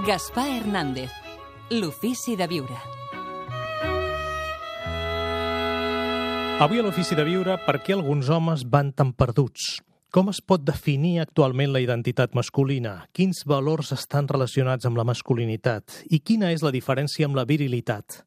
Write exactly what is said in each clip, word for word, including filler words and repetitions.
Gaspar Hernández, l'ofici de viure. Avui a l'ofici de viure, per què alguns homes van tan perduts? Com es pot definir actualment la identitat masculina? Quins valors estan relacionats amb la masculinitat? I quina és la diferència amb la virilitat?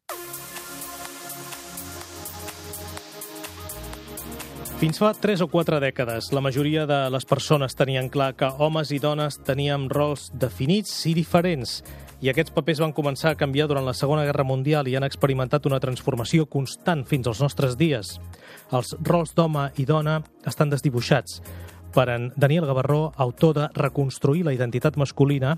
Fins fa tres o quatre dècades, la majoria de les persones tenien clar que homes i dones teníem rols definits i diferents, i aquests papers van començar a canviar durant la Segona Guerra Mundial i han experimentat una transformació constant fins als nostres dies. Els rols d'home i dona estan desdibuixats. Per en Daniel Gavarró, autor de Reconstruir la identitat masculina,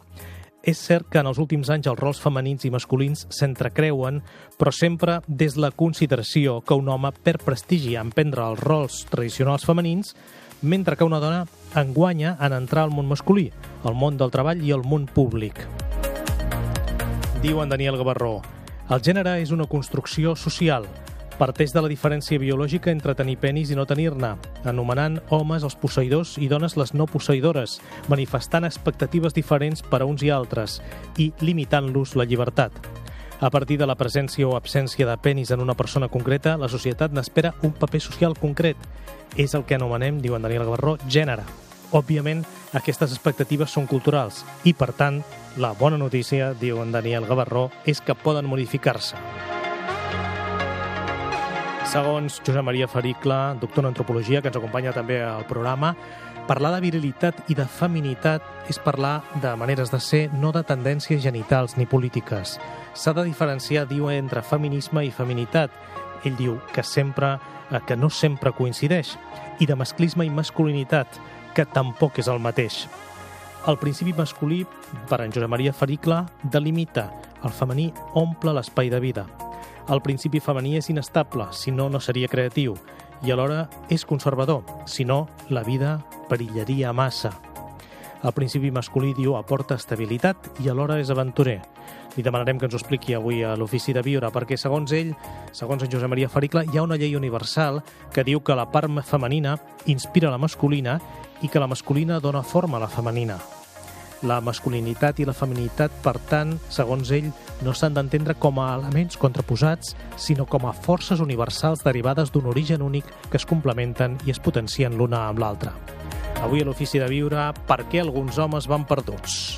és cert que en els últims anys els rols femenins i masculins s'entrecreuen, però sempre des de la consideració que un home perd prestigi en prendre els rols tradicionals femenins, mentre que una dona en guanya en entrar al món masculí, al món del treball i al món públic. Diu en Daniel Gavarró, el gènere és una construcció social, parteix de la diferència biològica entre tenir penis i no tenir-ne, anomenant homes els posseïdors i dones les no posseïdores, manifestant expectatives diferents per a uns i altres i limitant-los la llibertat. A partir de la presència o absència de penis en una persona concreta, la societat n'espera un paper social concret. És el que anomenem, diu en Daniel Gavarró, gènere. Òbviament, aquestes expectatives són culturals i, per tant, la bona notícia, diu en Daniel Gavarró, és que poden modificar-se. Segons Josep Maria Fericla, doctor en antropologia, que ens acompanya també al programa, parlar de virilitat i de feminitat és parlar de maneres de ser, no de tendències genitals ni polítiques. S'ha de diferenciar, diu, entre feminisme i feminitat. Ell diu que sempre, que no sempre coincideix, i de masclisme i masculinitat, que tampoc és el mateix. El principi masculí, per en Josep Maria Fericla, delimita. El femení omple l'espai de vida. El principi femení és inestable, si no, no seria creatiu, i alhora és conservador, si no, la vida perillaria massa. El principi masculí, diu, aporta estabilitat i alhora és aventurer. Li demanarem que ens ho expliqui avui a l'Ofici de Viure, perquè segons ell, segons en Josep Maria Fericla, hi ha una llei universal que diu que la part femenina inspira la masculina i que la masculina dona forma a la femenina. La masculinitat i la feminitat, per tant, segons ell, no s'han d'entendre com a elements contraposats, sinó com a forces universals derivades d'un origen únic que es complementen i es potencien l'una amb l'altra. Avui a l'Ofici de Viure, per què alguns homes van perduts?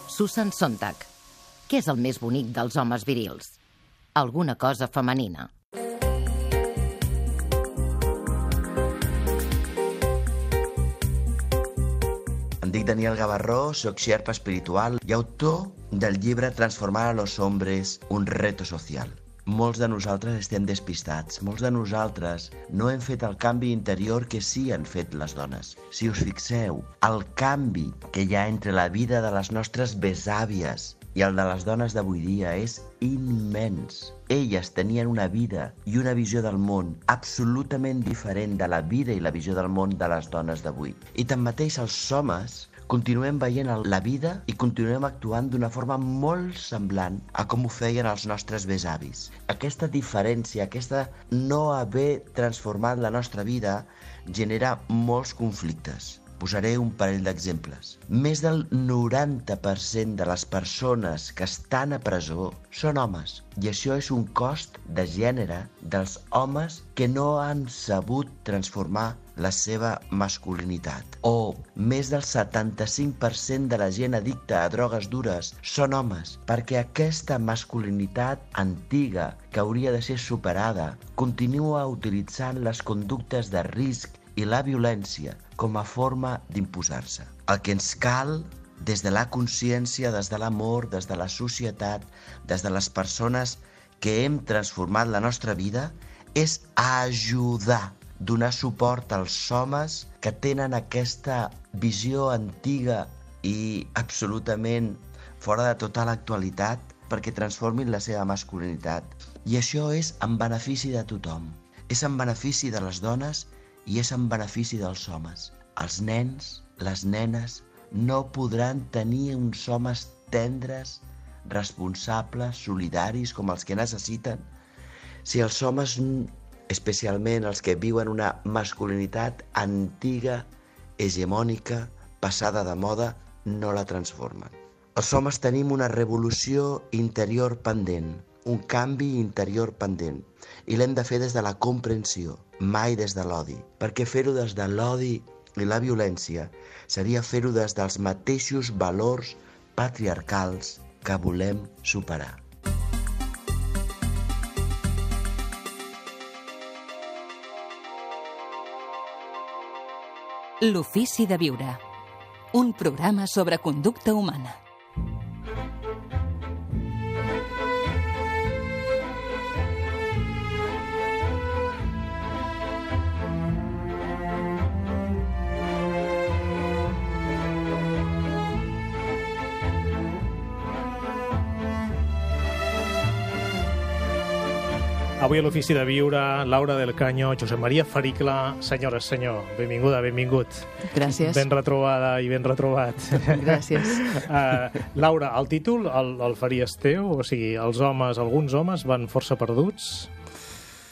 Susan Sontag. Què és el més bonic dels homes virils? Alguna cosa femenina. Em dic Daniel Gavarró, soc xerpa espiritual i autor del llibre Transformar a los hombres, un reto social. Molts de nosaltres estem despistats, molts de nosaltres no hem fet el canvi interior que sí han fet les dones. Si us fixeu, el canvi que hi ha entre la vida de les nostres besàvies i el de les dones d'avui dia és immens. Elles tenien una vida i una visió del món absolutament diferent de la vida i la visió del món de les dones d'avui. I tanmateix els homes continuem veient la vida i continuem actuant d'una forma molt semblant a com ho feien els nostres besavis. Aquesta diferència, aquesta no haver transformat la nostra vida, genera molts conflictes. Posaré un parell d'exemples. Més del noranta per cent de les persones que estan a presó són homes. I això és un cost de gènere dels homes que no han sabut transformar la seva masculinitat. O més del setanta-cinc per cent de la gent addicta a drogues dures són homes, perquè aquesta masculinitat antiga, que hauria de ser superada, continua utilitzant les conductes de risc i la violència com a forma d'imposar-se. El que ens cal, des de la consciència, des de l'amor, des de la societat, des de les persones que hem transformat la nostra vida, és ajudar, donar suport als homes que tenen aquesta visió antiga i absolutament fora de tota l'actualitat perquè transformin la seva masculinitat. I això és en benefici de tothom. És en benefici de les dones i és en benefici dels homes. Els nens, les nenes, no podran tenir uns homes tendres, responsables, solidaris, com els que necessiten, si els homes especialment els que viuen una masculinitat antiga, hegemònica, passada de moda, no la transformen. Els homes tenim una revolució interior pendent, un canvi interior pendent, i l'hem de fer des de la comprensió, mai des de l'odi, perquè fer-ho des de l'odi i la violència seria fer-ho des dels mateixos valors patriarcals que volem superar. L'ofici de viure. Un programa sobre conducta humana. Avui a l'Ofici de Viure, Laura del Caño, Josep Maria Fericla, senyores, senyor, benvinguda, benvingut. Gràcies. Ben retrobada i ben retrobat. Gràcies. Uh, Laura, el títol el, el faries teu? O sigui, els homes, alguns homes van força perduts?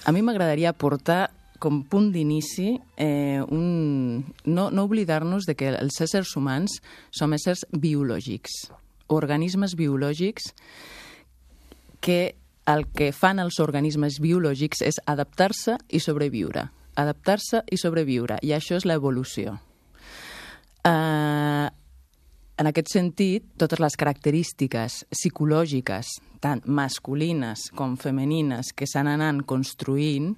A mi m'agradaria portar com punt d'inici eh, un... no, no oblidar-nos de que els éssers humans som éssers biològics, organismes biològics que el que fan els organismes biològics és adaptar-se i sobreviure. Adaptar-se i sobreviure, i això és l'evolució. Uh, en aquest sentit, totes les característiques psicològiques, tant masculines com femenines, que s'han anat construint,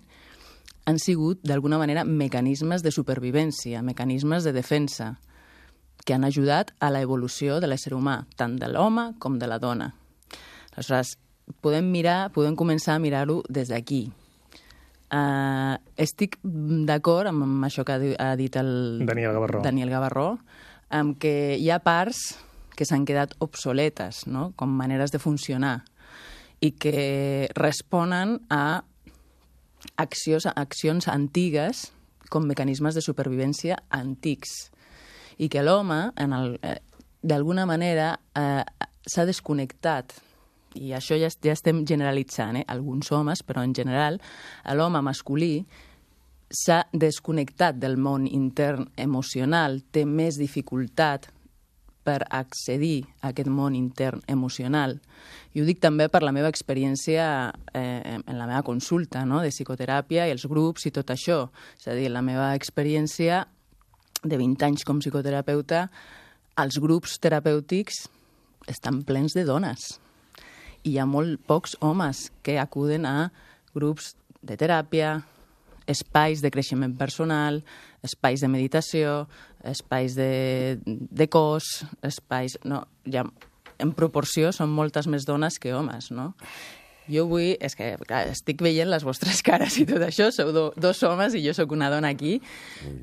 han sigut, d'alguna manera, mecanismes de supervivència, mecanismes de defensa, que han ajudat a l'evolució de l'ésser humà, tant de l'home com de la dona. Aleshores, podem mirar, podem començar a mirar-ho des d'aquí. Uh, estic d'acord amb això que ha dit el Daniel Gavarró, Daniel Gavarró, amb que hi ha parts que s'han quedat obsoletes, no?, com maneres de funcionar, i que responen a accions, accions antigues com mecanismes de supervivència antics, i que l'home, en el, eh, d'alguna manera, eh, s'ha desconnectat. I això ja, ja estem generalitzant, eh? Alguns homes, però en general, l'home masculí s'ha desconnectat del món intern emocional, té més dificultat per accedir a aquest món intern emocional. I ho dic també per la meva experiència eh, en la meva consulta, no?, de psicoteràpia i els grups i tot això. És a dir, la meva experiència de vint anys com psicoterapeuta, els grups terapèutics estan plens de dones. I hi ha molt pocs homes que acuden a grups de teràpia, espais de creixement personal, espais de meditació, espais de, de cos, espais... No, ja, en proporció són moltes més dones que homes, no? Jo vull... És que, clar, estic veient les vostres cares i tot això, sou do, dos homes i jo sóc una dona aquí.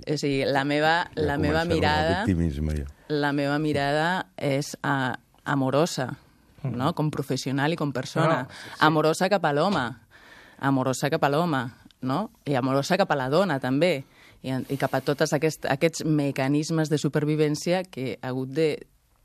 O sigui, la meva, ja la meva mirada... Ja. La meva mirada és a, amorosa, no? Com professional i com persona. No, sí, sí. Amorosa cap a l'home, amorosa cap a l'home, no? I amorosa cap a la dona, també, i, i cap a tots aquest, aquests mecanismes de supervivència que ha hagut de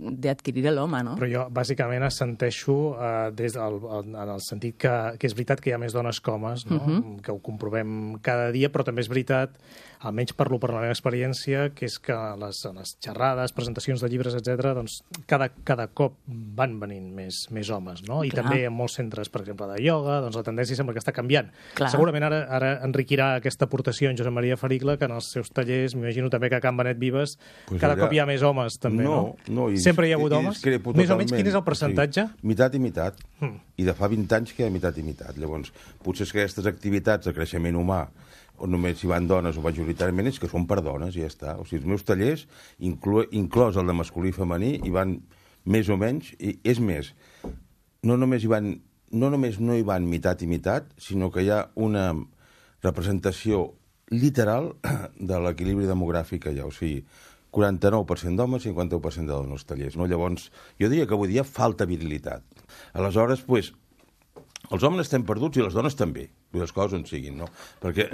d'adquirir l'home, no? Però jo, bàsicament, assenteixo eh, des del, en el sentit que, que és veritat que hi ha més dones que homes, no? Uh-huh. Que ho comprovem cada dia, però també és veritat, almenys parlo per la meva experiència, que és que les, les xerrades, presentacions de llibres, etcètera, doncs cada, cada cop van venint més, més homes, no? I Clar. També en molts centres, per exemple, de ioga, doncs la tendència sembla que està canviant. Clar. Segurament ara, ara enriquirà aquesta aportació en Josep Maria Fericla, que en els seus tallers, m'imagino també que a Can Benet Vives, pues cada allà... cop hi ha més homes, també, no? No, i... Sempre hi ha hagut homes? Més o menys, quin és el percentatge? Sí, mitat i mitat. Hmm. I de fa vint anys que hi ha mitat i mitat. Llavors, potser és que aquestes activitats de creixement humà, on només hi van dones o majoritàriament, és que són per dones i ja està. O sigui, els meus tallers, inclo, inclòs el de masculí i femení, hi van més o menys, i és més, no només hi van, no només no hi van mitat i mitat, sinó que hi ha una representació literal de l'equilibri demogràfic allà. O sigui, quaranta-nou per cent d'homes, cinquanta-u per cent de dones als tallers. No? Llavors, jo diria que avui dia falta virilitat. Aleshores, pues, els homes estem perduts i les dones també. les coses on siguin, no? Perquè,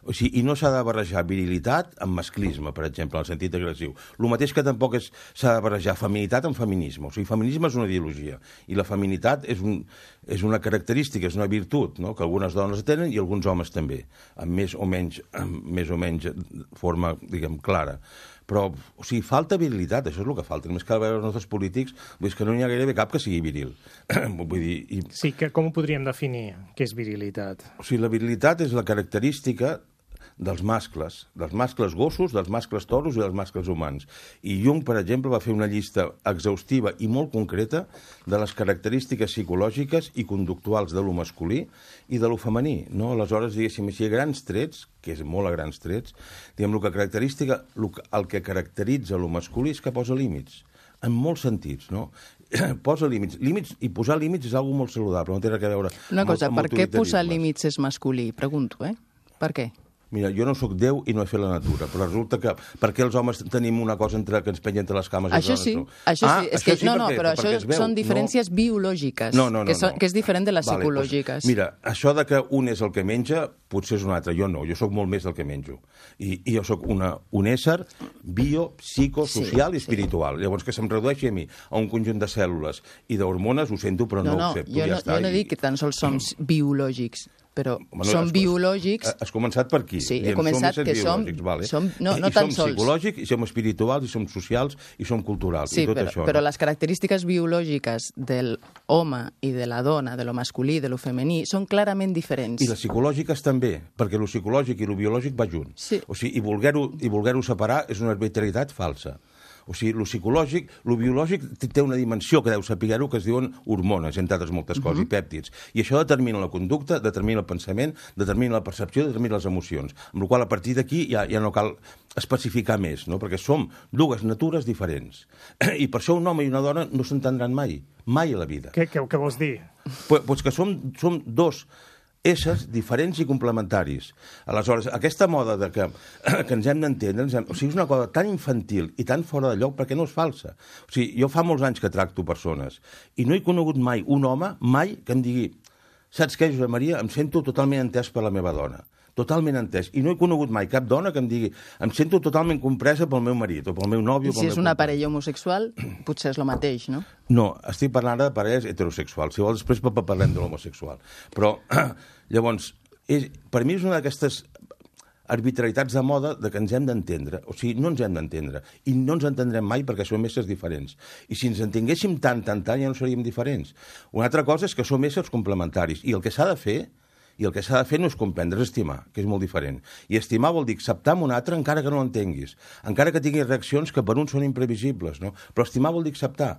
o sigui, i no s'ha de barrejar virilitat amb masclisme, per exemple, en el sentit agressiu. El mateix que tampoc s'ha de barrejar feminitat amb feminisme. O sigui, feminisme és una ideologia i la feminitat és, un, és una característica, és una virtut, no? Que algunes dones tenen i alguns homes també, amb més o menys, amb més o menys forma, diguem, clara. Però, o sigui, falta virilitat, això és el que falta. Només cal veure els nostres polítics, vull dir que no n'hi ha gairebé cap que sigui viril. Vull dir, i... Sí, que com ho podríem definir, què és virilitat? O sigui, la virilitat és la característica dels mascles, dels mascles gossos, dels mascles toros i dels mascles humans. I Jung, per exemple, va fer una llista exhaustiva i molt concreta de les característiques psicològiques i conductuals de lo masculí i de lo femení. No? Aleshores, diguéssim així, a grans trets, que és molt a grans trets, diguem, el que, característica, el que caracteritza lo masculí és que posa límits, en molts sentits, no? Posa límits. Límits, i posar límits és una cosa molt saludable, no té res a veure Una cosa, amb, amb per què posar límits és masculí? Pregunto, eh? Per què? Mira, jo no sóc Déu i no he fet la natura, però resulta que per què els homes tenim una cosa entre que ens pengen entre les cames i les això dones? sí, No? això Ah, sí, és això que, sí, no, per no, què? però Perquè això es veu, són diferències no? biològiques, No, no, no, que, són, no. que és diferent de les Vale, psicològiques. Doncs, mira, això de que un és el que menja, potser és un altre. Jo no, jo sóc molt més del que menjo. I, i jo sóc una, un ésser bio, psico, social Sí, i espiritual. Llavors, que se'm redueixi a mi a un conjunt de cèl·lules i d'hormones, ho sento, però no, no, ho accepto. jo ja no, està. jo no I- dic que tan sols som biològics, però Bueno, som has- biològics... Has començat per aquí. Sí, he Diem, començat som que éssers som- biològics, vale? som- no, I, no i tan som sols. psicològics, i som espirituals, i som socials, i som culturals, Sí, i tot però, això. però no? les característiques biològiques del home i de la dona, de lo masculí i de lo femení, són clarament diferents. I les psicològiques també, perquè lo psicològic i lo biològic va junt. Sí. O sigui, i voler-ho i voler-ho separar és una arbitrarietat falsa. O sigui, lo psicològic, lo biològic t- té una dimensió que deu saber-ho, que es diuen hormones, entre altres moltes coses, uh -huh. i pèptids. I això determina la conducta, determina el pensament, determina la percepció, determina les emocions. Amb la qual a partir d'aquí ja, ja no cal especificar més, no? Perquè som dues natures diferents. I per això un home i una dona no s'entendran mai, mai a la vida. Què, què, què vols dir? Pues, pues que som, som dos éssers diferents i complementaris. Aleshores, aquesta moda de que, que ens hem d'entendre, ens hem... o sigui, és una cosa tan infantil i tan fora de lloc perquè no és falsa. O sigui, jo fa molts anys que tracto persones i no he conegut mai un home, mai, que em digui saps què, Josep Maria? Em sento totalment entès per la meva dona. Totalment entès. I no he conegut mai cap dona que em digui em sento totalment compresa pel meu marit o pel meu nòvio. I si és una parella homosexual, potser és el mateix, no? No, estic parlant de parelles heterosexuals. Si vols, després parlem de l'homosexual. Però, llavors, és, per mi és una d'aquestes arbitrarietats de moda de que ens hem d'entendre. O sigui, no ens hem d'entendre. I no ens entendrem mai perquè som éssers diferents. I si ens entenguéssim tant, tant, tant, ja no seríem diferents. Una altra cosa és que som éssers complementaris. I el que s'ha de fer i el que s'ha de fer no és comprendre, és estimar, que és molt diferent. I estimar vol dir acceptar un altre encara que no l'entenguis, encara que tinguis reaccions que per un són imprevisibles, no? Però estimar vol dir acceptar.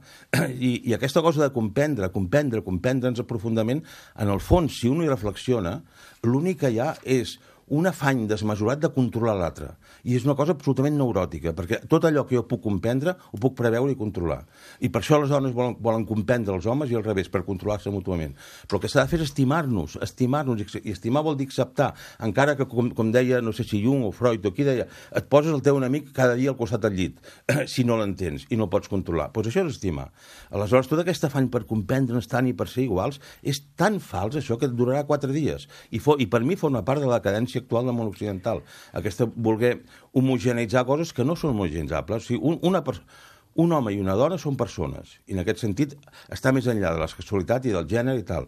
I, i aquesta cosa de comprendre, comprendre, comprendre'ns profundament, en el fons, si un hi reflexiona, l'únic que hi ha és un afany desmesurat de controlar l'altre. I és una cosa absolutament neuròtica, perquè tot allò que jo puc comprendre ho puc preveure i controlar. I per això les dones volen, volen comprendre els homes i al revés, per controlar-se mútuament. Però el que s'ha de fer és estimar-nos, estimar-nos, i estimar vol dir acceptar, encara que, com, com deia, no sé si Jung o Freud o qui deia, et poses el teu enemic cada dia al costat del llit, si no l'entens i no el pots controlar. Doncs això és estimar. Aleshores, tot aquest afany per comprendre'ns tant i per ser iguals és tan fals, això, que durarà quatre dies. I, for, i per mi forma part de la cadència actual del món occidental. Aquesta voler homogeneitzar coses que no són homogeneitzables. O sigui, un, una un home i una dona són persones. I en aquest sentit està més enllà de la sexualitat i del gènere i tal.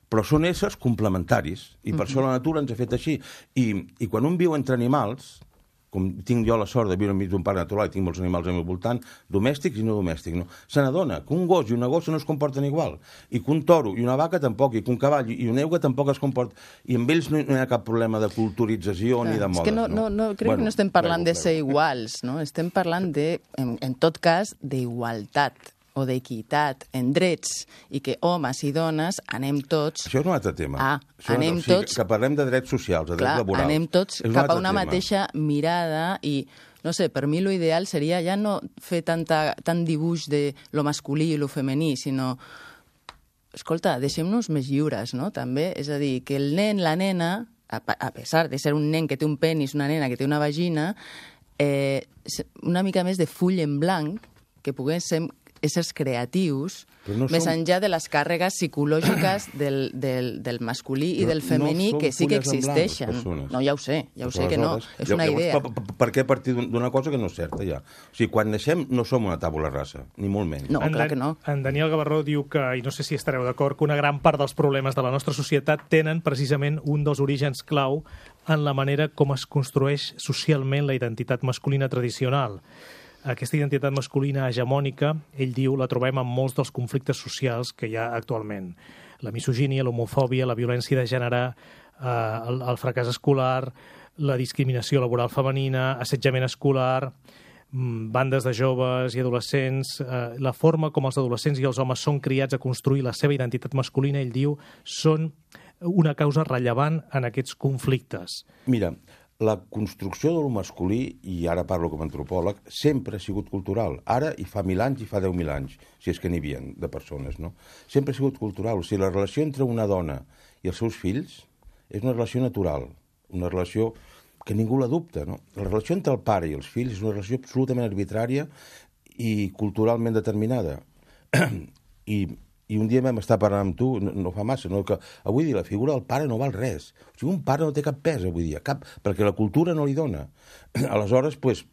Però són éssers complementaris. I per mm-hmm. això la natura ens ha fet així. I, i quan un viu entre animals, com tinc jo la sort de viure enmig d'un parc natural i tinc molts animals al meu voltant, domèstics i no domèstics, no? Se n'adona que un gos i una gossa no es comporten igual, i que un toro i una vaca tampoc, i que un cavall i una euga tampoc es comporten, i amb ells no, no hi ha cap problema de culturització Clar, ni de modes. És que no, no, no, crec bueno, que no estem parlant de ser iguals, no? Estem parlant de, en, en tot cas, d'igualtat o d'equitat en drets i que homes i dones anem tots... Això és un altre tema. Ah, Això anem o sigui, tots... Que parlem de drets socials, de drets Clar, laborals. anem tots un cap a altre una tema. mateixa mirada i, no sé, per mi l'ideal seria ja no fer tanta, tant dibuix de lo masculí i lo femení, sinó... Escolta, deixem-nos més lliures, no?, també. És a dir, que el nen, la nena, a, a pesar de ser un nen que té un penis, una nena que té una vagina, eh, una mica més de full en blanc, que poguéssim éssers creatius, no més som... enllà de les càrregues psicològiques del, del, del masculí i del femení, no que sí que existeixen. Blanc, no, ja ho sé, ja ho sé que no. És una llavors, idea. Per, per, per què partir d'una cosa que no és certa, ja? O sigui, quan naixem no som una tàbula rasa, ni molt menys. No, en clar Dan, que no. En Daniel Gavarró diu que, i no sé si estareu d'acord, que una gran part dels problemes de la nostra societat tenen precisament un dels orígens clau en la manera com es construeix socialment la identitat masculina tradicional. Aquesta identitat masculina hegemònica, ell diu, la trobem en molts dels conflictes socials que hi ha actualment. La misogínia, l'homofòbia, la violència de gènere, eh, el, el fracàs escolar, la discriminació laboral femenina, assetjament escolar, bandes de joves i adolescents, eh, la forma com els adolescents i els homes són criats a construir la seva identitat masculina, ell diu, són una causa rellevant en aquests conflictes. Mira, la construcció de lo masculí, i ara parlo com a antropòleg, sempre ha sigut cultural. Ara i fa mil anys i fa deu mil anys, si és que n'hi havia de persones, no? Sempre ha sigut cultural. O sigui, la relació entre una dona i els seus fills és una relació natural, una relació que ningú la dubta, no? La relació entre el pare i els fills és una relació absolutament arbitrària i culturalment determinada. I I un dia vam estar parlant amb tu, no, no fa massa, no, que avui dia la figura del pare no val res. O sigui, un pare no té cap pes avui dia, cap, perquè la cultura no li dona. Aleshores, pues,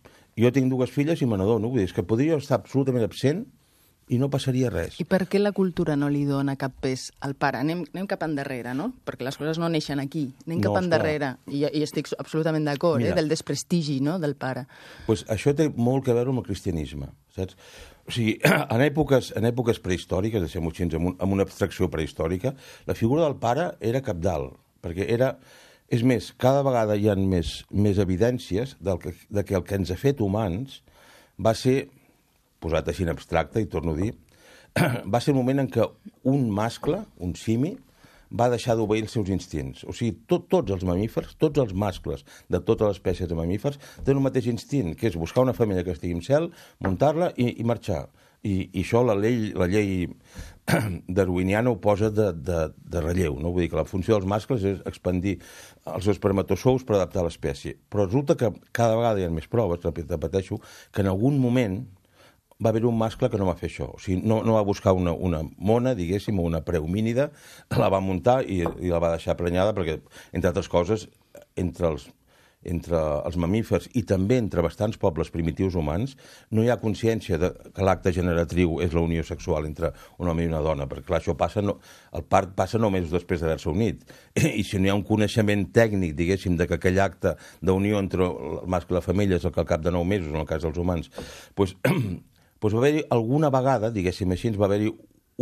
jo tinc dues filles i me n'adono, vull dir, és que podria estar absolutament absent i no passaria res. I per què la cultura no li dona cap pes al pare? Anem, anem cap endarrere, no? Perquè les coses no neixen aquí. Anem cap no, endarrere. I, I estic absolutament d'acord, eh, del desprestigi, no?, del pare. Pues això té molt a veure amb el cristianisme, saps? O sigui, en èpoques, en èpoques prehistòriques, deixem-ho així, amb, un, amb una abstracció prehistòrica, la figura del pare era cabdal, perquè era... És més, cada vegada hi ha més, més evidències del que, de que el que ens ha fet humans va ser, posat així en abstracte, i torno a dir, va ser el moment en què un mascle, un simi, va deixar d'obeir els seus instints. O sigui, tot, tots els mamífers, tots els mascles de totes les espècies de mamífers tenen un mateix instint, que és buscar una femella que estigui en cel, muntar-la i, i marxar. I, I això la llei, la llei darwiniana ho posa de, de, de relleu. No? Vull dir que la funció dels mascles és expandir els espermatozous per adaptar l'espècie. Però resulta que cada vegada hi ha més proves, repeteixo, que en algun moment va haver un mascle que no va fer això. O sigui, no, no va buscar una, una mona, diguéssim, o una prehomínida, la va muntar i, i la va deixar prenyada perquè, entre altres coses, entre els, entre els mamífers i també entre bastants pobles primitius humans, no hi ha consciència de que l'acte generatriu és la unió sexual entre un home i una dona, perquè clar, això passa, no, el part passa només després d'haver-se unit. I si no hi ha un coneixement tècnic, diguéssim, de que aquell acte d'unió entre el mascle i la femella és el que al cap de nou mesos, en el cas dels humans, doncs... Doncs va haver-hi alguna vegada, diguéssim així, va haver-hi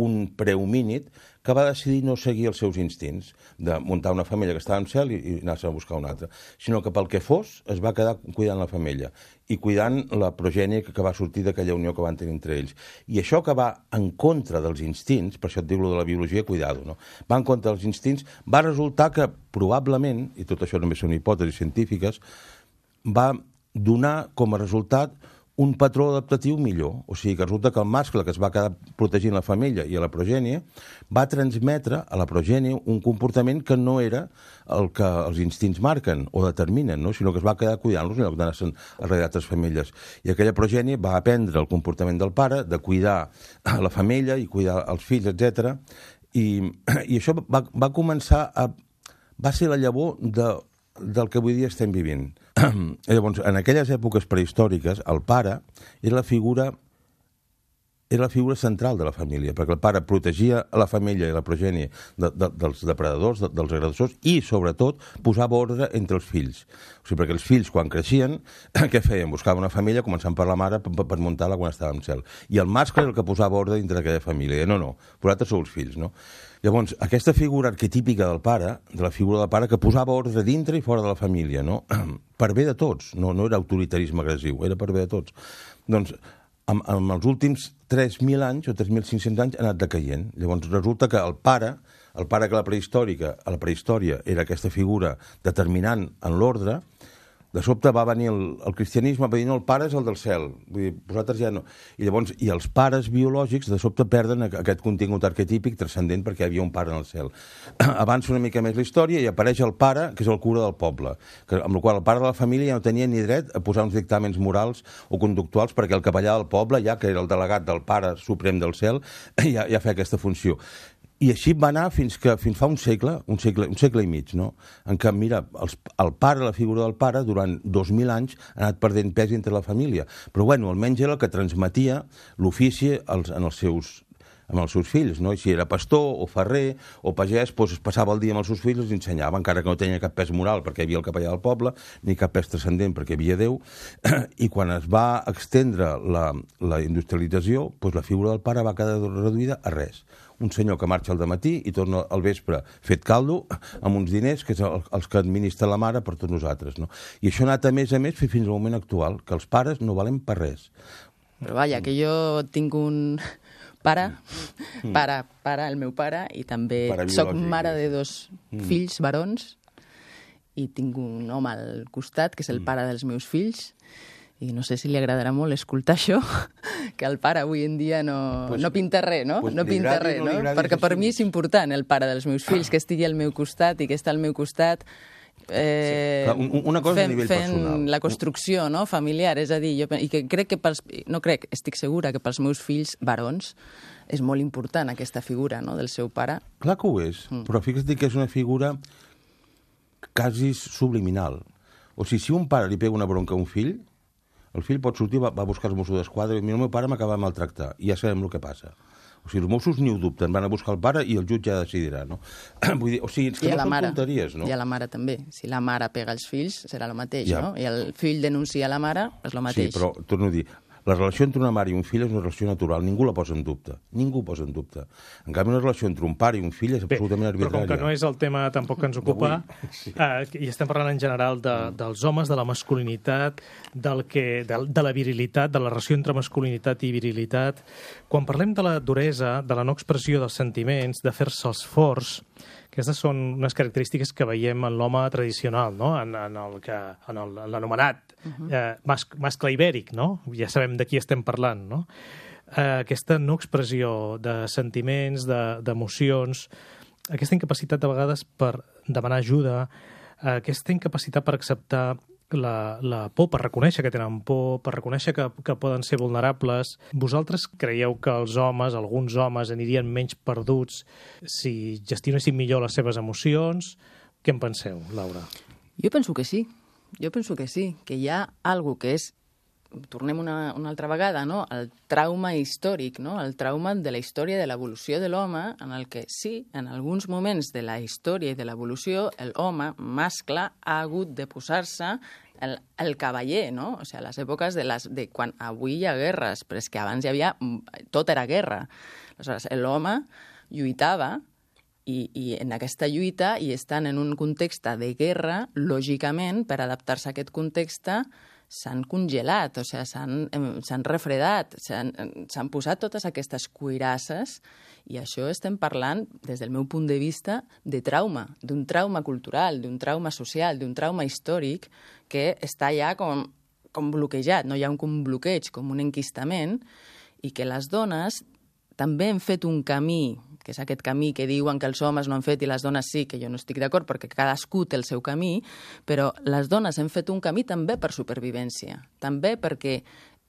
un prehomínid que va decidir no seguir els seus instints de muntar una femella que estava en cel i, i anar-se a buscar una altra, sinó que pel que fos es va quedar cuidant la femella i cuidant la progènie que, que va sortir d'aquella unió que van tenir entre ells. I això que va en contra dels instints, per això et diu lo de la biologia, cuidado, no? Va en contra dels instints, va resultar que probablement, i tot això només són hipòtesis científiques, va donar com a resultat un patró adaptatiu millor. O sigui, que resulta que el mascle que es va quedar protegint la femella i a la progènie va transmetre a la progènie un comportament que no era el que els instints marquen o determinen, no? Sinó que es va quedar cuidant-los en lloc d'anar-se'n a darrere d'altres femelles. I aquella progènie va aprendre el comportament del pare, de cuidar a la femella i cuidar els fills, etcètera. I, i això va, va començar a... va ser la llavor de, del que avui dia estem vivint. Llavors, en aquelles èpoques prehistòriques, el pare era la figura era la figura central de la família, perquè el pare protegia a la família i la progènie de, de, dels depredadors, de, dels agressors, i, sobretot, posava ordre entre els fills. O sigui, perquè els fills, quan creixien, què feien? Buscaven una família, començant per la mare, per, per muntar-la quan estava en cel. I el mascle era el que posava ordre dintre d'aquella família. I no, no, vosaltres sou els fills, no? Llavors, aquesta figura arquetípica del pare, de la figura del pare, que posava ordre dintre i fora de la família, no? Per bé de tots, no, no era autoritarisme agressiu, era per bé de tots. Doncs, amb, amb els últims tres mil anys o tres mil cinc-cents anys ha anat decaient. Llavors resulta que el pare, el pare que la prehistòrica, a la prehistòria era aquesta figura determinant en l'ordre, de sobte va venir el, el cristianisme, va dir, no, el pare és el del cel, vull dir, vosaltres ja no. I llavors, i els pares biològics de sobte perden aquest contingut arquetípic transcendent perquè hi havia un pare en el cel. Avança una mica més la història i apareix el pare, que és el cura del poble, que, amb la qual el pare de la família ja no tenia ni dret a posar uns dictàmens morals o conductuals perquè el capellà del poble, ja que era el delegat del pare suprem del cel, ja, ja feia aquesta funció. I així va anar fins que fins fa un segle, un segle, un segle i mig, no? En què, mira, els, el pare, la figura del pare, durant dos mil anys ha anat perdent pes entre la família. Però, bueno, almenys era el que transmetia l'ofici als, en els seus, amb els seus fills, no? I si era pastor o ferrer o pagès, doncs es passava el dia amb els seus fills i els ensenyava, encara que no tenia cap pes moral perquè hi havia el capellà del poble, ni cap pes transcendent perquè hi havia Déu. I quan es va extendre la, la industrialització, doncs la figura del pare va quedar reduïda a res. Un senyor que marxa al dematí i torna al vespre fet caldo amb uns diners que és el, els que administra la mare per tots nosaltres, no? I això ha anat a més a més fins al moment actual, que els pares no valen per res. Però vaja, que jo tinc un pare, mm. pare, pare, el meu pare, i també soc mare de dos mm. fills barons, i tinc un home al costat, que és el pare dels meus fills, i no sé si li agradarà molt escoltar això, que el pare avui en dia no, pues, no pinta res, no? Pues no pinta res, no? no? Perquè per mi és important el pare dels meus fills, que estigui al meu costat i que està al meu costat eh, sí. Una cosa fent, a nivell fent personal. La construcció, no? Familiar, és a dir, jo, i que crec que pels, no crec, estic segura que pels meus fills barons és molt important aquesta figura, no?, del seu pare. Clar que ho és, mm. però fixa't que és una figura quasi subliminal. O sigui, si un pare li pega una bronca a un fill, el fill pot sortir, va, va buscar els Mossos d'Esquadra i el meu pare m'acaba de maltractar, i ja sabem el que passa. O sigui, els Mossos ni ho dubten, van a buscar el pare i el jutge ja decidirà, no? Vull dir, o sigui, és que no són mare, tonteries, no? I a la mare també. Si la mare pega els fills, serà el mateix, ja. no? I el fill denuncia a la mare, és el mateix. Sí, però torno a dir, la relació entre una mare i un fill és una relació natural, ningú la posa en dubte, ningú posa en dubte. En canvi, una relació entre un pare i un fill és Bé, absolutament arbitrària. Però com que no és el tema tampoc que ens ocupa, sí. eh, i estem parlant en general de, dels homes, de la masculinitat, del que, de, de la virilitat, de la relació entre masculinitat i virilitat. Quan parlem de la duresa, de la no expressió dels sentiments, de fer-se'ls forts, aquestes són unes característiques que veiem en l'home tradicional, no? en, en el que, en el, en l'anomenat uh-huh. eh, mas, mascle ibèric, no? Ja sabem de qui estem parlant, no? Eh, aquesta no expressió de sentiments, de, d'emocions, aquesta incapacitat de vegades per demanar ajuda, eh, aquesta incapacitat per acceptar la, la por, per reconèixer que tenen por, per reconèixer que, que poden ser vulnerables. Vosaltres creieu que els homes, alguns homes, anirien menys perduts si gestionessin millor les seves emocions? Què en penseu, Laura? Jo penso que sí. Jo penso que sí, que hi ha alguna que és, tornem una, una altra vegada, no? El trauma històric, no? El trauma de la història de l'evolució de l'home, en el que sí, en alguns moments de la història i de l'evolució, el home mascle ha hagut de posar-se el, el cavaller, no? O sigui, a les èpoques de, les, de quan avui hi ha guerres, però és que abans hi havia... tot era guerra. Aleshores, l'home lluitava i, i en aquesta lluita, i estan en un context de guerra, lògicament, per adaptar-se a aquest context, s'han congelat, o sigui, s'han, s'han refredat, s'han, s'han posat totes aquestes cuirasses, i això estem parlant, des del meu punt de vista, de trauma, d'un trauma cultural, d'un trauma social, d'un trauma històric que està ja com, com bloquejat, no hi ha un, un bloqueig, com un enquistament, i que les dones també han fet un camí, que és aquest camí que diuen que els homes no han fet i les dones sí, que jo no estic d'acord perquè cadascú té el seu camí, però les dones han fet un camí també per supervivència, també perquè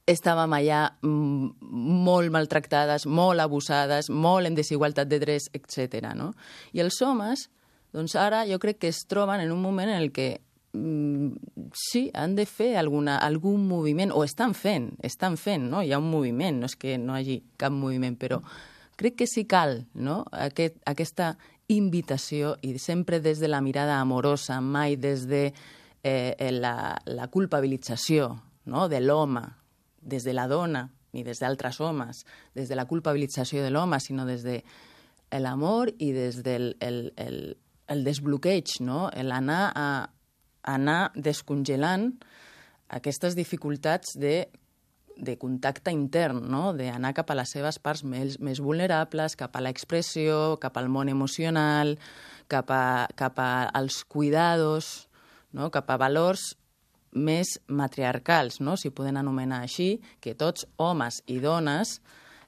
estàvem allà molt maltractades, molt abusades, molt en desigualtat de drets, etcètera, no? I els homes, doncs ara jo crec que es troben en un moment en el que mm, sí, han de fer alguna, algun moviment, o estan fent, estan fent, no? Hi ha un moviment, no és que no hi hagi cap moviment, però crec que sí cal, no? Aquest, aquesta invitació, i sempre des de la mirada amorosa, mai des de eh, la, la culpabilització, no? De l'home, des de la dona, ni des d'altres homes, des de la culpabilització de l'home, sinó des de l'amor i des del el, el, el desbloqueig, no? L'anar a anar descongelant aquestes dificultats de de contacte intern, no? D'anar cap a les seves parts més, més vulnerables, cap a l'expressió, cap al món emocional, cap, a, cap a, als cuidados, no? Cap a valors més matriarcals, no? Si poden anomenar així, que tots, homes i dones,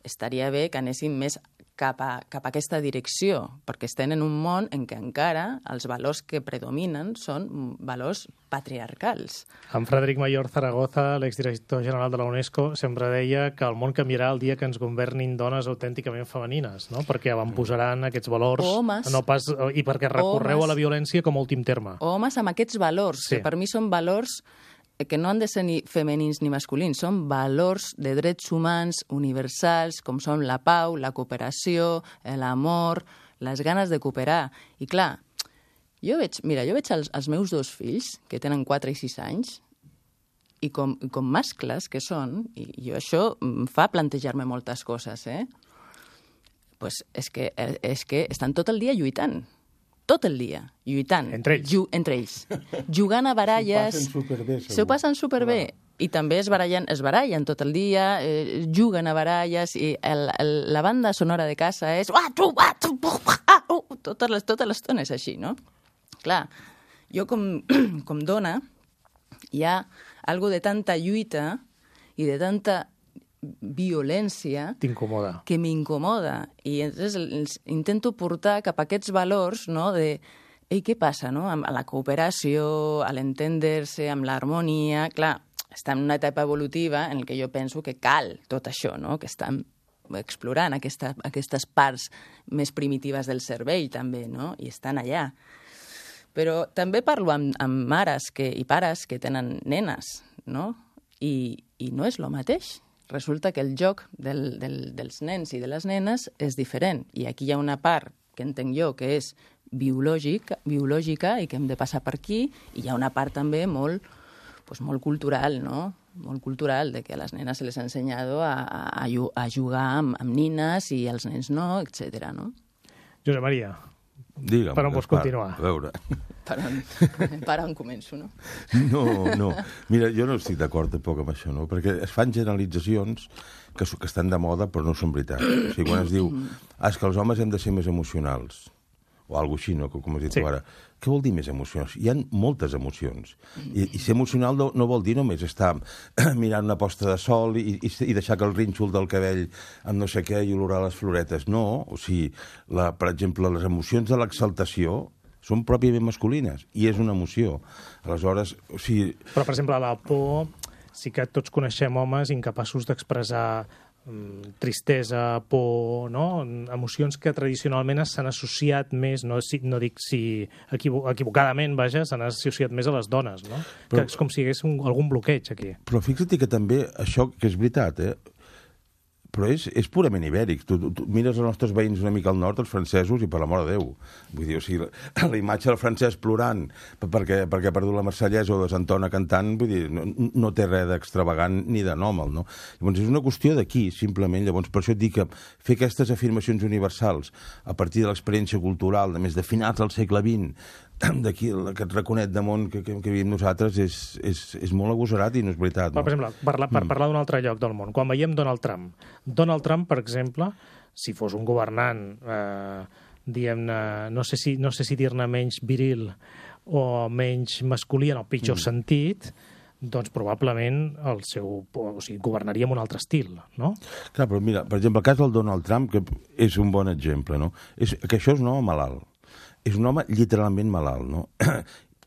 estaria bé que anessin més cap a, cap a aquesta direcció, perquè estem en un món en què encara els valors que predominen són valors patriarcals. En Frederic Mayor Zaragoza, l'exdirector general de la UNESCO, sempre deia que el món canviarà el dia que ens governin dones autènticament femenines, no? Perquè avantposaran aquests valors homes, no pas, i perquè recorreu homes, a la violència com a últim terme. Homes amb aquests valors, sí. Que per mi són valors que no han de ser ni femenins ni masculins, són valors de drets humans universals, com són la pau, la cooperació, l'amor, les ganes de cooperar. I clar, jo veig, mira, jo veig els, els meus dos fills, que tenen quatre i sis anys, i com, com mascles que són, i jo això em fa plantejar-me moltes coses, eh? Pues és que, és que estan tot el dia lluitant. Tot el dia, lluitant. Entre ells. Ju entre ells. Jugant a baralles. S'ho passen superbé, segur. S'ho passen superbé. I també es barallen, es barallen tot el dia, eh, juguen a baralles, i el, el, la banda sonora de casa és totes les, totes les tones així, no? Clar, jo com, com dona hi ha algo de tanta lluita i de tanta violència t'incomoda. Que m'incomoda. I entonces els intento portar cap a aquests valors, no?, de ei, què passa, no?, amb la cooperació, a l'entendre-se, amb l'harmonia. Clar, està en una etapa evolutiva en què jo penso que cal tot això, no?, que estem explorant aquesta, aquestes parts més primitives del cervell, també, no?, i estan allà. Però també parlo amb, amb mares que, i pares que tenen nenes, no?, i, i no és el mateix. Resulta que el joc del, del, dels nens i de les nenes és diferent. I aquí hi ha una part que entenc jo que és biològica, biològica i que hem de passar per aquí, i hi ha una part també molt, pues, molt cultural, no? Molt cultural, de que a les nenes se les ha ensenyat a, a, a jugar amb, amb nines i als nens no, etcètera, no? Josep Maria, Digue'm, per on vols continuar? A veure... Per on, per on començo, no? No, no. Mira, jo no estic d'acord tampoc amb això, no? Perquè es fan generalitzacions que, que estan de moda però no són veritat. O sigui, quan es diu ah, és que els homes hem de ser més emocionals, o alguna cosa així, no? Com has dit sí. tu ara. Què vol dir més emocions? Hi ha moltes emocions. I, i ser emocional no, no vol dir només estar mirant una posta de sol i, i, i deixar que el rínxol del cabell amb no sé què i olorar les floretes. No, o sigui, la, per exemple, les emocions de l'exaltació són pròpiament masculines, i és una emoció. Aleshores, o sigui... Però, per exemple, la por, sí que tots coneixem homes incapaços d'expressar mm, tristesa, por, no? Emocions que tradicionalment s'han associat més, no, si, no dic si equivo equivocadament, vaja, s'han associat més a les dones, no? Però, que és com si hi hagués un, algun bloqueig aquí. Però fixa't que també això, que és veritat, eh? Però és, és purament ibèric. Tu, tu, tu mires els nostres veïns una mica al nord, els francesos, i per l'amor de Déu. Vull dir, o sigui, la, la imatge del francès plorant perquè, perquè ha perdut la Marsellesa o desentona cantant, vull dir, no, no té res d'extravagant ni d'anòmal, no? Llavors, és una qüestió d'aquí, simplement. Llavors, per això et dic que fer aquestes afirmacions universals a partir de l'experiència cultural, de més de finals del segle vint, d'aquí, aquest raconet de món que, que, que vivim nosaltres, és, és, és molt agosarat i no és veritat. No? Per exemple, parla, per mm. parlar d'un altre lloc del món, quan veiem Donald Trump. Donald Trump, per exemple, si fos un governant, eh, diguem-ne, no sé si, no sé si dir-ne menys viril o menys masculí en el pitjor mm. sentit, doncs probablement el seu, o sigui, governaria amb un altre estil, no? Clar, però mira, per exemple, el cas del Donald Trump, que és un bon exemple, no? És, que això és un home malalt. És un home literalment malalt, no?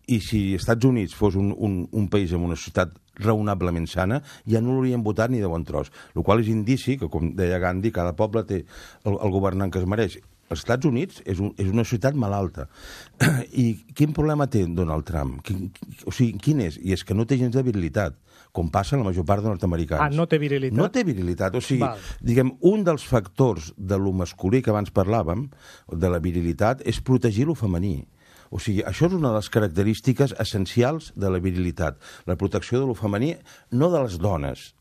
I si als Estats Units fos un, un, un país amb una societat raonablement sana, ja no l'haurien votat ni de bon tros. El qual és indici que, com deia Gandhi, cada poble té el, el governant que es mereix. Els Estats Units és, un, és una societat malalta. I quin problema té Donald Trump? Quin, o sigui, quin és? I és que no té gens de virilitat, com passa en la major part de nord-americans. Ah, no té virilitat? No té virilitat. O sigui, Val. diguem, un dels factors de lo masculí que abans parlàvem, de la virilitat, és protegir lo femení. O sigui, això és una de les característiques essencials de la virilitat. La protecció de lo femení, no de les dones,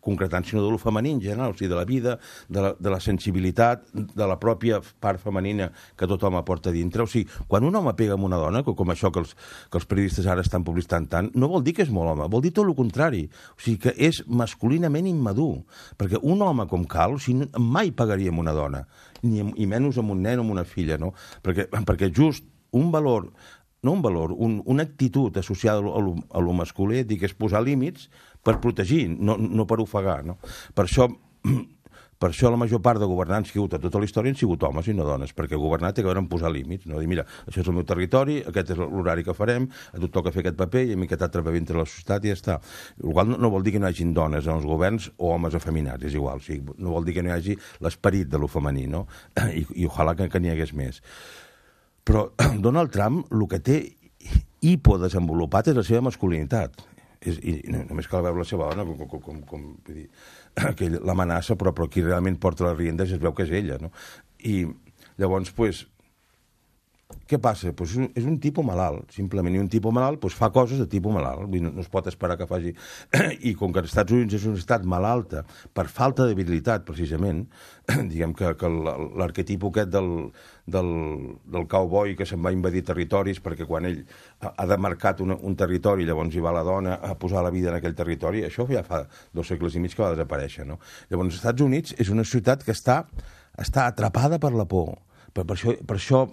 concretant, sinó de lo femení en general, o sigui, de la vida, de la, de la sensibilitat, de la pròpia part femenina que tot home porta dintre. O sigui, quan un home pega amb una dona, com això que els, que els periodistes ara estan publicitant tant, no vol dir que és molt home, vol dir tot el contrari. O sigui, que és masculinament immadur. Perquè un home com cal, o sigui, mai pagaria amb una dona, ni, i menys amb un nen o amb una filla, no? Perquè, perquè just un valor no un valor, un, una actitud associada a lo, a lo masculí, dic, és posar límits per protegir, no, no per ofegar, no? Per això, per això la major part de governants que hi ha hagut a tota la història han sigut homes i no dones, perquè governar té que veure amb posar límits, no? Dir, mira, això és el meu territori, aquest és l'horari que farem, a tu toca fer aquest paper i a mi aquest altre paper entre la societat i ja està. El qual no, no vol dir que no hi hagi dones en els governs o homes afeminats, és igual, o sigui, no vol dir que no hi hagi l'esperit de lo femení, no? I, i ojalà que, que n'hi hagués més. Però Donald Trump el que té hipodesenvolupat és la seva masculinitat. És, i només cal veure la seva dona com, com, com, com vull dir, que l'amenaça, però, però qui realment porta les riendes es veu que és ella, no? I llavors, pues, què passa? Pues és, un, és un tipus malalt, simplement, i un tipus malalt pues, fa coses de tipus malalt, vull dir, no, no es pot esperar que faci... I com que els Estats Units és un estat malalta per falta d'habilitat, precisament, diguem que, que l'arquetip aquest del, del, del cowboy que se'n va invadir territoris perquè quan ell ha, ha demarcat una, un territori, llavors hi va la dona a posar la vida en aquell territori, això ja fa dos segles i mig que va desaparèixer, no? Llavors, els Estats Units és una ciutat que està, està atrapada per la por. Per, per això... Per això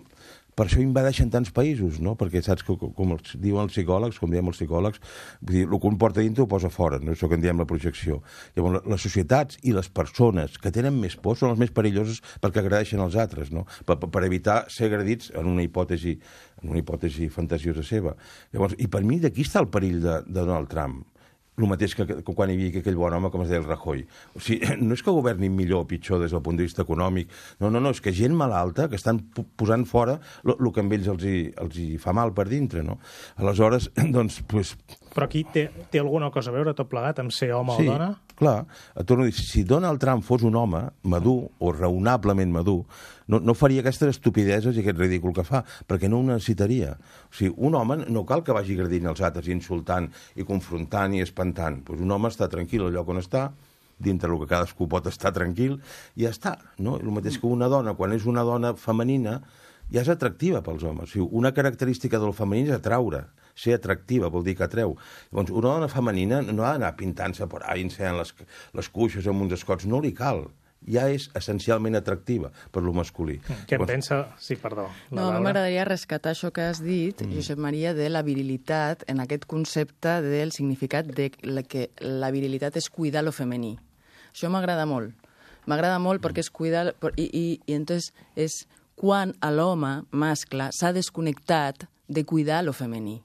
Per això invadeixen tants països, no? Perquè saps que, com els diuen els psicòlegs, com diem els psicòlegs, vull dir, el que un porta dintre ho posa fora, no? Això que en diem la projecció. Llavors, les societats i les persones que tenen més por són les més perilloses perquè agredeixen els altres, no? Per, per evitar ser agredits en una hipòtesi, en una hipòtesi fantasiosa seva. Llavors, i per mi d'aquí està el perill de, de Donald Trump. El mateix que, que quan hi havia aquell bon home, com es deia el Rajoy. O sigui, no és que governin millor o pitjor des del punt de vista econòmic, no, no, no, és que gent malalta que estan posant fora el que amb ells els hi, els hi fa mal per dintre, no? Aleshores, doncs, pues... Però aquí té, té alguna cosa a veure tot plegat amb ser home sí, o dona? Clar, et torno a dir, si Donald Trump fos un home madur o raonablement madur, no, no faria aquestes estupideses i aquest ridícul que fa, perquè no ho necessitaria. O sigui, un home no cal que vagi agredint els altres, insultant i confrontant i espantant. Pues un home està tranquil al lloc on està, dintre el que cadascú pot estar tranquil, i ja està. No? El mateix que una dona, quan és una dona femenina, ja és atractiva pels homes. O sigui, una característica del femení és atraure. Ser atractiva vol dir que atreu. Llavors, una dona femenina no ha d'anar pintant-se per ahí, ensenyant les, les cuixes amb uns escots. No li cal. Ja és essencialment atractiva per lo masculí. Què en pensa? Sí, perdó. No, a mi m'agradaria rescatar això que has dit, mm. Josep Maria, de la virilitat, en aquest concepte del significat de que la virilitat és cuidar lo femení. Això m'agrada molt. M'agrada molt perquè és cuidar... I, i, i entonces és quan l'home mascle s'ha desconnectat de cuidar lo femení.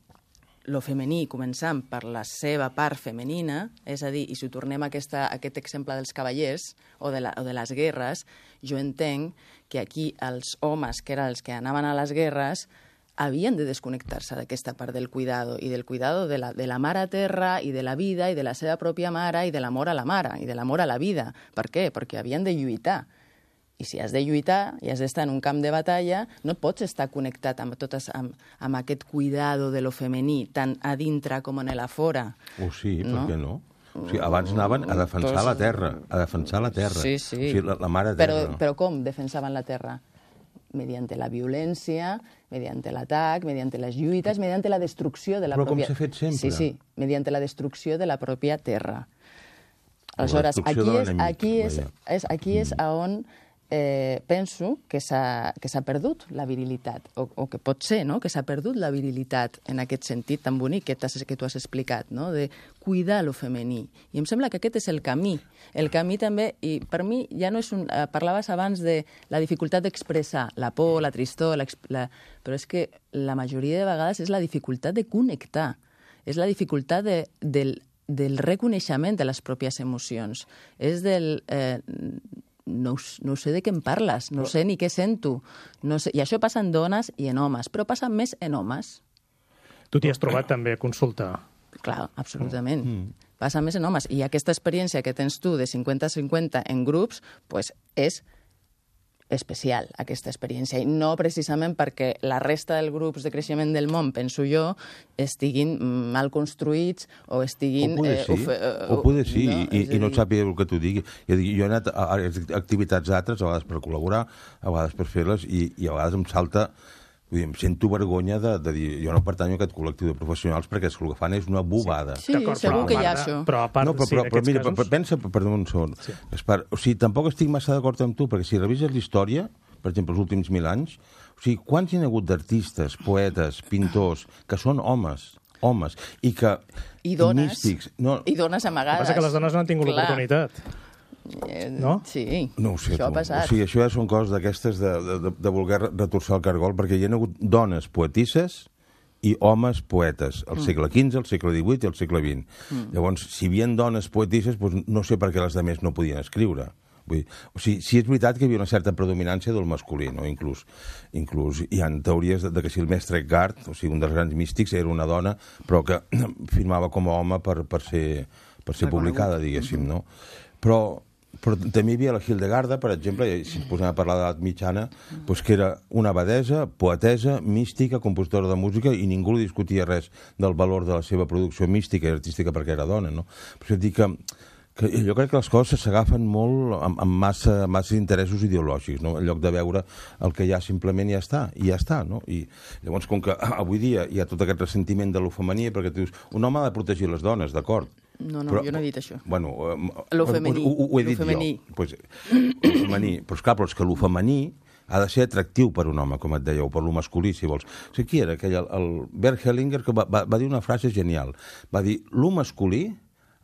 Lo femení, començant per la seva part femenina, és a dir, i si tornem a, aquesta, a aquest exemple dels cavallers o de, la, o de les guerres, jo entenc que aquí els homes, que eren els que anaven a les guerres, havien de desconnectar-se d'aquesta part del cuidado, i del cuidado de la, de la mare a terra, i de la vida, i de la seva pròpia mare, i de l'amor a la mare, i de l'amor a la vida. Per què? Perquè havien de lluitar. I si has de lluitar i has d'estar en un camp de batalla, no pots estar connectat amb, totes, amb, amb aquest cuidado de lo femení, tant a dintre com en la fora. Oh, sí, no? Per què no? O sigui, abans anaven a defensar la terra, a defensar la terra. Sí, sí. O sigui, la, la mare terra. Però, però com defensaven la terra? Mediante la violència, mediante l'atac, mediante les lluites, mediante la destrucció de la però pròpia... Però com s'ha fet sempre. Sí, sí, mediante la destrucció de la pròpia terra. Aleshores, aquí és, aquí és, és, aquí és mm. on... Eh, penso que s'ha que s'ha perdut la virilitat, o, o que pot ser, no?, que s'ha perdut la virilitat en aquest sentit tan bonic que, que tu has explicat, no?, de cuidar lo femení. I em sembla que aquest és el camí. El camí també, i per mi ja no és un... Eh, parlaves abans de la dificultat d'expressar la por, la tristor, la, la, però és que la majoria de vegades és la dificultat de connectar, és la dificultat de, del, del reconeixement de les pròpies emocions, és del... Eh, No, no sé de què em parles, no sé ni què sento. No sé. I això passa en dones i en homes, però passa més en homes. Tu t'hi has trobat també a consultar? Clar, absolutament. Mm. Passa més en homes. I aquesta experiència que tens tu de cinquanta a cinquanta en grups, pues és especial, aquesta experiència. I no precisament perquè la resta dels grups de creixement del món, penso jo, estiguin mal construïts o estiguin... O poder sí, eh, o poder sí, no? I, i no et sàpiga el que t'ho digui. Jo he anat a activitats altres, a vegades per col·laborar, a vegades per fer-les, i, i a vegades em salta... Vull dir, em sento vergonya de, de dir jo no pertanyo a aquest col·lectiu de professionals perquè el que fan és una bobada. Sí, sí segur que hi ha això. Però a part, no, però, sí, però, però mira, casos... pensa, perdó un segon. Sí. Espar, o sigui, tampoc estic massa d'acord amb tu, perquè si revises la història, per exemple, els últims mil anys, O sigui, quants hi ha hagut d'artistes, poetes, pintors, que són homes, homes, i que... I dones. Místics, no, I dones amagades. El que passa que les dones no han tingut Clar. l'oportunitat. Eh, No? Sí, no ho sé, això tu. ha passat. O sigui, això ja són coses d'aquestes de, de, de voler retorçar el cargol, perquè hi ha hagut dones poetisses i homes poetes, al segle quinze, al segle divuit i al segle vint. Mm. Llavors, si hi havia dones poetisses, doncs no sé per què les altres no podien escriure. Vull dir, o sigui, sí és veritat que hi havia una certa predominància del masculí, no? Inclús, inclús hi ha teories de, de que si el mestre Eckhart, o sigui, un dels grans místics, era una dona, però que firmava com a home per, per ser, per ser publicada, diguéssim, no? Però, però també hi havia la Hildegarda, per exemple, si ens posem a parlar d'edat mitjana, doncs que era una abadesa, poetesa, mística, compositora de música, i ningú li discutia res del valor de la seva producció mística i artística perquè era dona, no? Per això dic que que jo crec que les coses s'agafen molt amb, amb massa, massa interessos ideològics, no? En lloc de veure el que hi ha simplement ja està, i ja està, no? I llavors, com que avui dia hi ha tot aquest ressentiment de lo femení, perquè tu dius, un home ha de protegir les dones, d'acord? No, no, però, jo no he dit això. Bueno, Lo femení. Ho, ho, ho he Lo dit femení. jo. Pues, lo femení. Però, esclar, però és que lo femení ha de ser atractiu per un home, com et deia, o per lo masculí, si vols. O sigui, qui era aquell, el, el Bert Hellinger, que va, va, va dir una frase genial. Va dir, lo masculí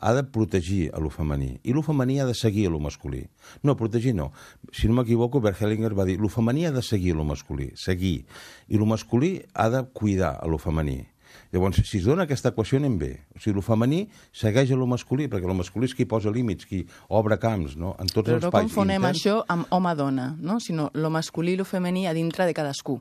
ha de protegir a lo femení, i lo femení ha de seguir a lo masculí. No, protegir no. Si no m'equivoco, Bert Hellinger va dir, lo femení ha de seguir a lo masculí, seguir, i lo masculí ha de cuidar a lo femení. Llavors, si es dona aquesta equació, anem bé. O sigui, lo femení segueix a lo masculí, perquè lo masculí és qui posa límits, qui obre camps, no? En tots Però els no espais confonem interns. això amb home-dona, no? Sinó lo masculí i lo femení a dintre de cadascú.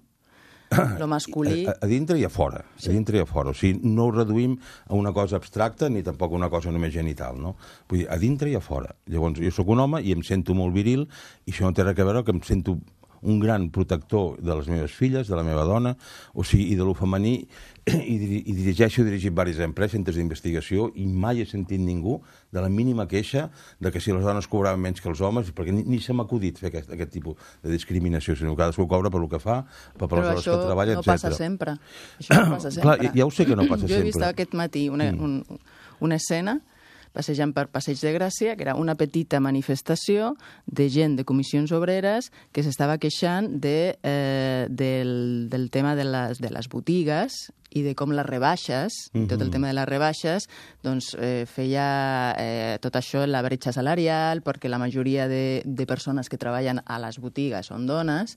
Lo masculí... A, a dintre i a fora, sí. A dintre i a fora. O sigui, no ho reduïm a una cosa abstracta ni tampoc a una cosa només genital, no? Vull dir, a dintre i a fora. Llavors, jo sóc un home i em sento molt viril i això no té res a veure que em sento un gran protector de les meves filles, de la meva dona, o sigui, i de lo femení, i, i dirigeixo, he dirigit diverses empreses, centres d'investigació, i mai he sentit ningú de la mínima queixa de que si les dones cobraven menys que els homes, perquè ni, ni se m'ha acudit fer aquest, aquest tipus de discriminació, sinó que cadascú cobra per lo que fa, per, per les hores que treballa, no etcètera. Passa sempre. Això no passa sempre. Clar, ja ho sé que no passa jo sempre. Jo he vist aquest matí una, mm. un, una escena passejant per Passeig de Gràcia, que era una petita manifestació de gent de comissions obreres que s'estava queixant de, eh, del, del tema de les, de les botigues i de com les rebaixes, mm-hmm. tot el tema de les rebaixes, doncs eh, feia eh, tot això la bretxa salarial, perquè la majoria de, de persones que treballen a les botigues són dones,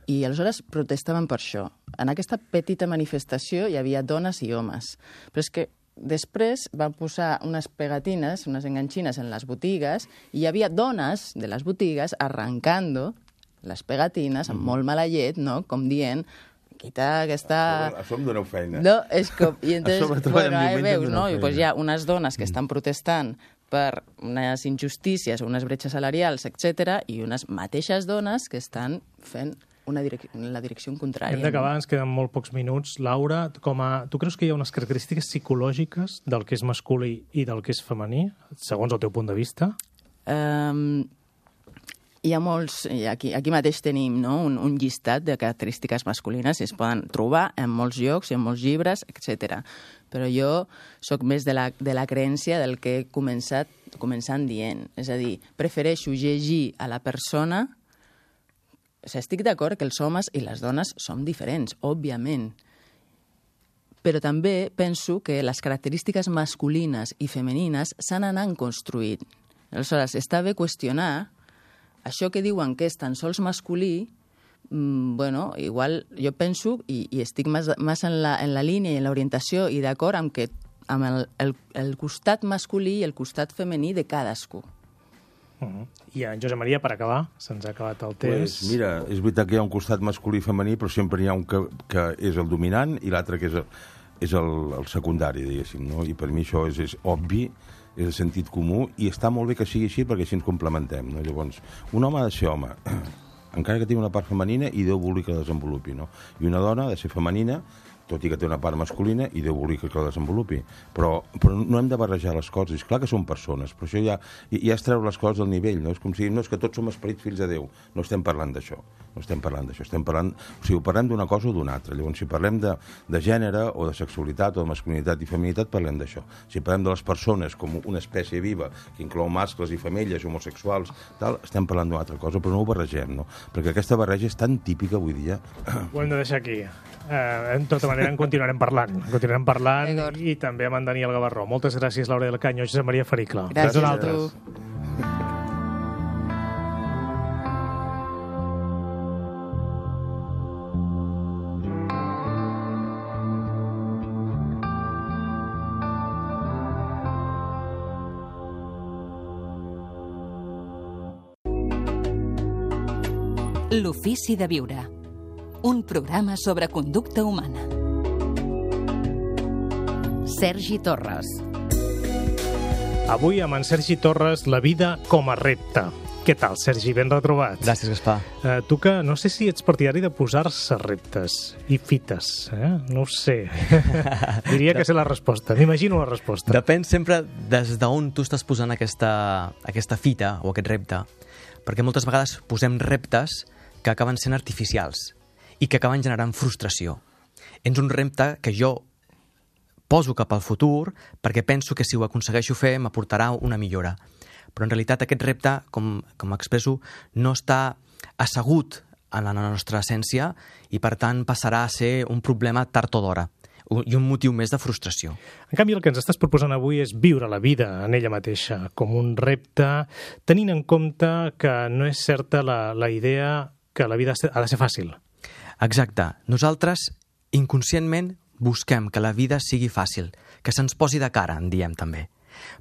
i aleshores protestaven per això. En aquesta petita manifestació hi havia dones i homes, però és que després van posar unes pegatines, unes enganxines en les botigues, i hi havia dones de les botigues arrancando les pegatines amb molt mala llet, no? Com dient, quita aquesta... A sobre em doneu feina. No, és com... I entonces, bueno, ahí veus, no? I feina. pues hi ha unes dones que estan protestant per unes injustícies, unes bretxes salarials, etcètera, i unes mateixes dones que estan fent una direc en la direcció contrària. Hem d'acabar, ens queden molt pocs minuts. Laura, com a... tu creus que hi ha unes característiques psicològiques del que és masculí i del que és femení, segons el teu punt de vista? Um, hi ha molts... Aquí, aquí mateix tenim, no? un, un llistat de característiques masculines i es poden trobar en molts llocs, en molts llibres, etcètera. Però jo sóc més de la, de la creença del que he començat començant dient. És a dir, prefereixo llegir a la persona... O sigui, estic d'acord que els homes i les dones som diferents, òbviament. Però també penso que les característiques masculines i femenines s'han anat construint. Aleshores, està bé qüestionar això que diuen que és tan sols masculí. Mmm, bueno, igual jo penso, i, i estic més, més en, la, en la línia i en l'orientació i d'acord amb, que, amb el, el, el costat masculí i el costat femení de cadascú. Uh -huh. I en Josep Maria, per acabar, se'ns ha acabat el temps. Pues mira, és veritat que hi ha un costat masculí i femení, però sempre hi ha un que, que és el dominant i l'altre que és, el, és el, el secundari, diguéssim, no? I per mi això és, és obvi, és de sentit comú, i està molt bé que sigui així perquè així ens complementem, no? Llavors, un home ha de ser home, encara que tingui una part femenina i Déu vulgui que la desenvolupi, no? I una dona ha de ser femenina, tot i que té una part masculina i Déu volia que la desenvolupi. Però, però no hem de barrejar les coses. És clar que són persones, però això ja, ja es treu les coses del nivell, no? És com si no és que tots som esperits fills de Déu. No estem parlant d'això. No estem parlant d'això. Estem parlant, o sigui, parlem d'una cosa o d'una altra. Llavors, si parlem de, de gènere o de sexualitat o de masculinitat i feminitat, parlem d'això. Si parlem de les persones com una espècie viva que inclou mascles i femelles, homosexuals, tal, estem parlant d'una altra cosa, però no ho barregem, no? Perquè aquesta barreja és tan típica avui dia. Ho hem de deixar aquí. Eh, en tota manera, en continuarem parlant. En continuarem parlant i també amb en Daniel Gavarró. Moltes gràcies, Laura del Canyo, Josep Maria Fericla. Gràcies a tu. L'ofici de viure. Un programa sobre conducta humana. Sergi Torres. Avui amb en Sergi Torres, la vida com a repte. Què tal, Sergi? Ben retrobat. Gràcies, Gaspar. Uh, tu que no sé si ets partidari de posar-se reptes i fites, eh? No ho sé. Diria que sé la resposta. M'imagino la resposta. Depèn sempre des d'on tu estàs posant aquesta, aquesta fita o aquest repte. Perquè moltes vegades posem reptes que acaben sent artificials i que acaben generant frustració. És un repte que jo poso cap al futur perquè penso que si ho aconsegueixo fer m'aportarà una millora. Però en realitat aquest repte, com, com expresso, no està assegut en la nostra essència i per tant passarà a ser un problema tard o d'hora i un motiu més de frustració. En canvi, el que ens estàs proposant avui és viure la vida en ella mateixa, com un repte, tenint en compte que no és certa la, la idea que la vida ha de ser fàcil. Exacte. Nosaltres, inconscientment, busquem que la vida sigui fàcil, que se'ns posi de cara, en diem també.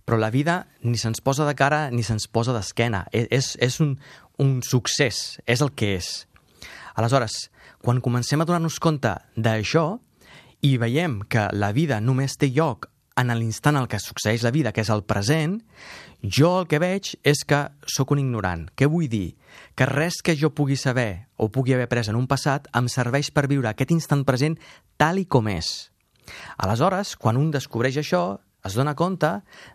Però la vida ni se'ns posa de cara ni se'ns posa d'esquena. És, és un, un succés, és el que és. Aleshores, quan comencem a donar-nos compte d'això i veiem que la vida només té lloc en l'instant en què succeeix la vida, que és el present, jo el que veig és que sóc un ignorant. Què vull dir? Que res que jo pugui saber o pugui haver après en un passat em serveix per viure aquest instant present tal i com és. Aleshores, quan un descobreix això, es dona compte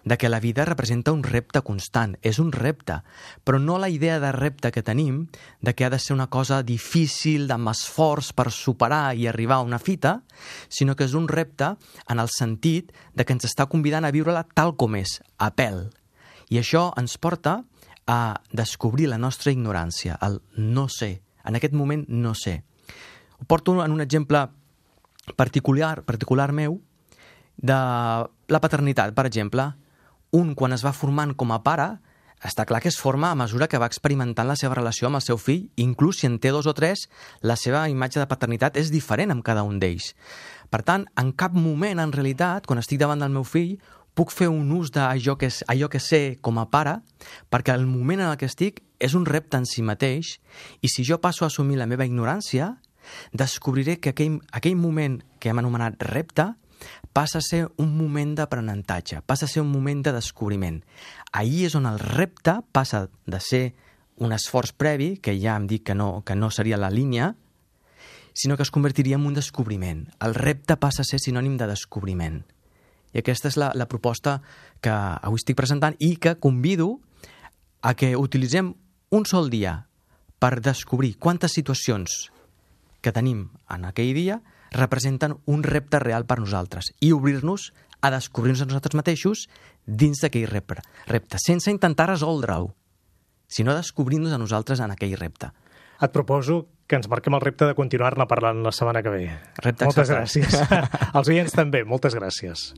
de que la vida representa un repte constant. És un repte, però no la idea de repte que tenim de que ha de ser una cosa difícil, amb esforç per superar i arribar a una fita, sinó que és un repte en el sentit de que ens està convidant a viure-la tal com és, a pèl. I això ens porta a descobrir la nostra ignorància, el no sé. En aquest moment no sé. Ho porto en un exemple particular, particular meu, de la paternitat, per exemple. Un, quan es va formant com a pare, està clar que es forma a mesura que va experimentant la seva relació amb el seu fill. Inclús si en té dos o tres, la seva imatge de paternitat és diferent amb cada un d'ells. Per tant, en cap moment, en realitat, quan estic davant del meu fill, puc fer un ús d'allò que, allò que sé com a pare, perquè el moment en el que estic és un repte en si mateix, i si jo passo a assumir la meva ignorància, descobriré que aquell, aquell moment que hem anomenat repte passa a ser un moment d'aprenentatge, passa a ser un moment de descobriment. Ahir és on el repte passa de ser un esforç previ, que ja em dic que no, que no seria la línia, sinó que es convertiria en un descobriment. El repte passa a ser sinònim de descobriment. I aquesta és la, la proposta que avui estic presentant i que convido a que utilitzem un sol dia per descobrir quantes situacions que tenim en aquell dia representen un repte real per nosaltres i obrir-nos a descobrir-nos a nosaltres mateixos dins d'aquell repte, repte, sense intentar resoldre-ho, sinó descobrir-nos a nosaltres en aquell repte. Et proposo que ens marquem el repte de continuar-ne parlant la setmana que ve. Repte moltes acceptat. Gràcies. Els oients també, moltes gràcies.